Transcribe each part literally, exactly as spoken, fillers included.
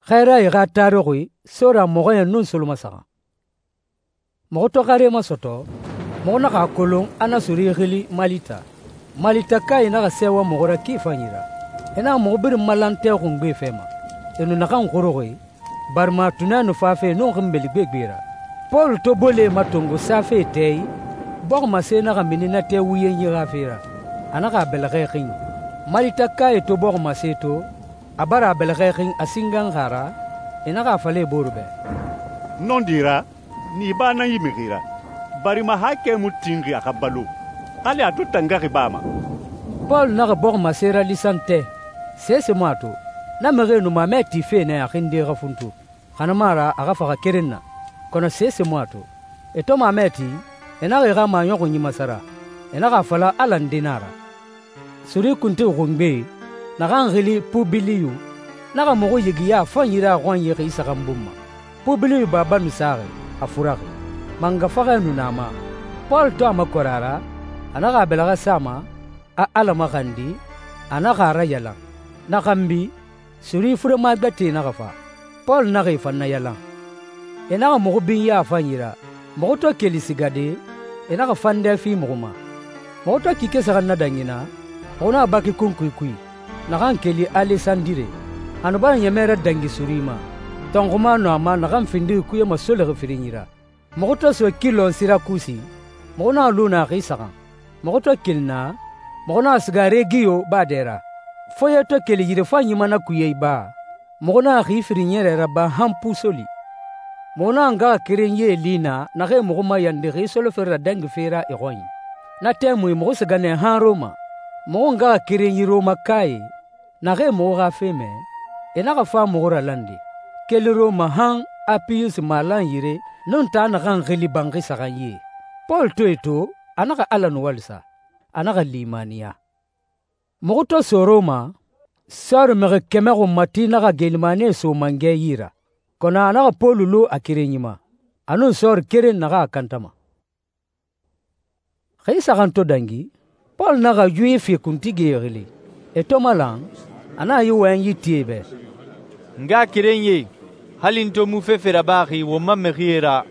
Xɛɛrae xa taruxi sora mɔxɔɲɛn nun solomasaxan. Muxu to xare masɔtɔ, muxu naxa a kolon a na suri xili Malita. Malitakae naxa sɛɛwa muxu ra ki fanyi ra. E naxa muxu birin malan tɛ xungbe fɛ ma. E nu naxan xuruxi, barima tunɛ nu fafe nun xinbeli gbegbe ra. Pɔlu to bolee matongo safe tɛ i, bɔximase naxa mini na tɛ wuyenyi xa fe ra. A naxa a bɛlɛxɛ xin. Malitakae to bɔximase to, a bara a bɛlɛxɛ xin a singanxi a ra, e naxa a fala e boore bɛ, «Nɔndi ra, ni ba nan yi mixi ra, barima haakɛ mu tinxi a xa balo, hali a to tangaxi baa ma.» Pɔlu naxa bɔximase ralisan tɛ, sese mu a to. Na mixie nu mamɛ tife nɛ a xinde xa funtu, xa na mu a ra a xa faxa keren na, kɔnɔ sese mu a to. E to mamɛ ti, e naxa e xa maɲɔxunyi masara, e naxa a fala Ala nde nan a ra. Suri kuntigi xungbe, naxan xili Pubiliyu, naxa muxu yigiya a fanyi ra a xɔnyi xi saxan bun ma. Pubiliyu baba nu saxi, a furaxi. Manga faxɛ nu na a ma. Pɔlu to a makɔrɛ a ra, a naxa a bɛlɛxɛ sa a ma, a Ala maxandi, a naxa a rayalan. Na xanbi, suri furema gbɛtɛe naxa fa. Pɔlu naxa e fan nayalan. E naxa muxu binya a fanyi ra. Muxu to keli sigade, e naxa fandɛ fi muxu ma. Muxu to kike saxan na dangina, muxu naxa baki kunkui kui, naxan keli Alesandire. A nu bara ɲɛmɛ radangi suri ma. Tɔnxuma nu a ma naxan findixi kuye masolixi firinyi ra. Muxu to so Kilɔn Sirakusi, muxu naxa lu na xi saxan. Muxu to keli naa, muxu naxa siga Regiyo baa dɛ ra. Foye to keli yirefanyi ma na kuye iba, muxu naxa xi firin ɲɛrɛ raba han Pusoli. Muxu naxa ngaxakerenyie li naa naxee muxu mayandi xi solofere radangife ra e xɔnyi. Na tɛmui muxu siga nɛ han Roma. Muxu ngaxakerenyi Romakae, naxee muxu xa fe mɛ, e naxa fa muxu ralande. Keli Roma han Apiyusi malan yire nun taa naxan xili banxi saxan ye. Pɔlu to e to, a naxa Ala nuwalisa, a naxa limaniya. Muxu to so Roma, sɔɔri mixi kɛmɛ xunmati naxa gelimanie so mangɛ yi ra, kɔnɔ a naxa Pɔlu lu a kerenyi ma, a nun sɔɔri keren naxa a kantama. Xi saxan to dangi, Pɔlu naxa Yuwifi kuntigie xili. E to malan, a naxa yi wɔyɛnyi ti e bɛ, «N ngaxakerenyie, hali n to mu fefe rabaxi won ma mixie ra,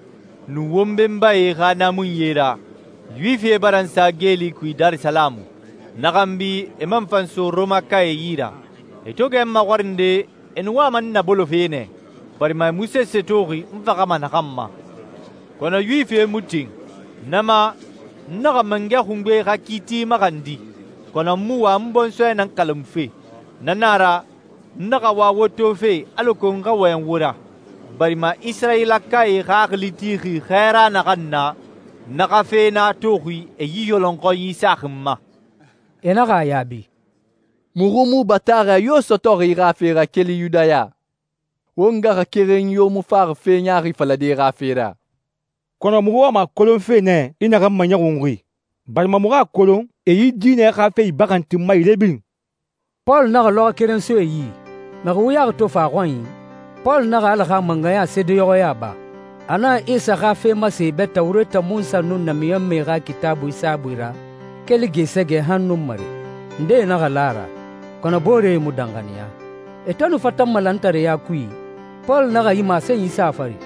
nun won benbae xa naamunyie ra, Yuwifie bara n sa geeli kui Darisalamu. Na xanbi e man fan so Romakae yi ra. E to gɛ n maxɔrinde, e nu wama n nabolofe nɛ, barima e mu sese toxi n faxama naxan ma. Kɔnɔ Yuwifie mu tin. Na ma, n naxa mangɛ xungbe xa kiiti maxandi, kɔnɔ n mu wa n bɔnsɔɛ nan kalanmufe. Na na ra, n naxa wa wo tofe alako n xa wɔyɛn wo ra, barima Isirayilakae xaxili tixi xɛɛra naxan na, na xa fe na toxi e yi yɔlɔnxɔnyi saxin ma.» E naxa a yaabi, «Muxu mu bataaxɛ yo sɔtɔxi i xa fe ra keli Yudaya. Wo ngaxakerenyi yo mu faxi fe ɲaaxi falade i xa fe ra. Kɔnɔ muxu wama a kolonfe nɛ i naxan maɲɔxunxi, barima muxu a kolon e yi diinɛ xa fe ibaxantin ma yire birin.» Pɔlu naxa lɔxɔ keren so e yi. Mixi wuyaxi to fa a xɔnyi, Pɔlu naxa Ala xa manganya seedeyɔxɔya ba. A naxa Isa xa fe mase bɛ Tawureta Munsa nun namiɲɔnmɛe xa kitaabui saabui ra, keli gesɛgɛ han nun mare. Ndee naxa la a ra, kɔnɔ booree mu danxaniya. E to nu fatan malantareya kui, Pɔlu naxa yi masenyi sa a fari,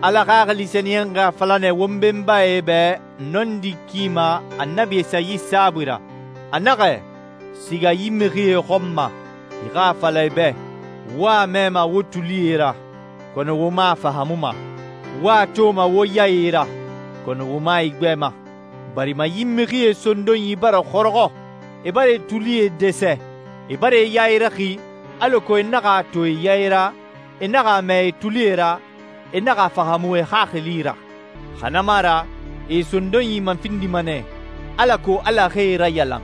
«Ala Xaxili Sɛniyɛn xa fala nɛ won benbae bɛ nɔndi ki ma Annabi Esayi saabui ra. A naxɛ, siga yi mixie xɔn ma, i xa a fala i bɛ, wo a mɛma wo tulie ra, kɔnɔ wo ma a fahamuma. Wo a toma wo yaye ra, kɔnɔ wo ma i gbɛma. Barima yi mixie sondonyi bara xɔrɔxɔ, e bara e tulie dɛsɛ, e bara e yayiraxi, alako e naxa a to e yayira, e naxa a mɛ e tulie ra, e naxa a fahamu e xaxili ra. Xa na mu a ra, e sondonyi man findima nɛ, alako Ala xa e rayalan.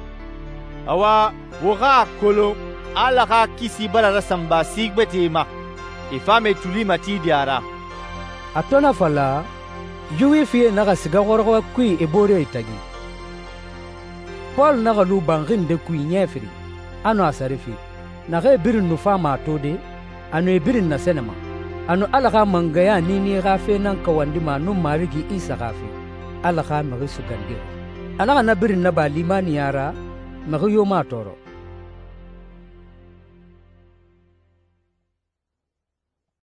Awa, wo xa a kolon Ala xa kisi bara rasanba si gbɛtɛe ma, e fama e tuli matidi a ra.» A to na fala, Yuwifie naxa siga xɔrɔxɔ kui e boore tagi. Pɔlu naxa lu banxi nde kui ɲɛfiri, a nu a sarifi. Naxee birin nu fama a to de, a nu e birin nasɛnɛma. A nu Ala xa mangaya niini xa fe nan kawandima nun Marigi Isa xa fe, Ala xa mixi sugandixi. A naxa na birin naba limaniya ra, mixi yo mu a tɔɔrɔ.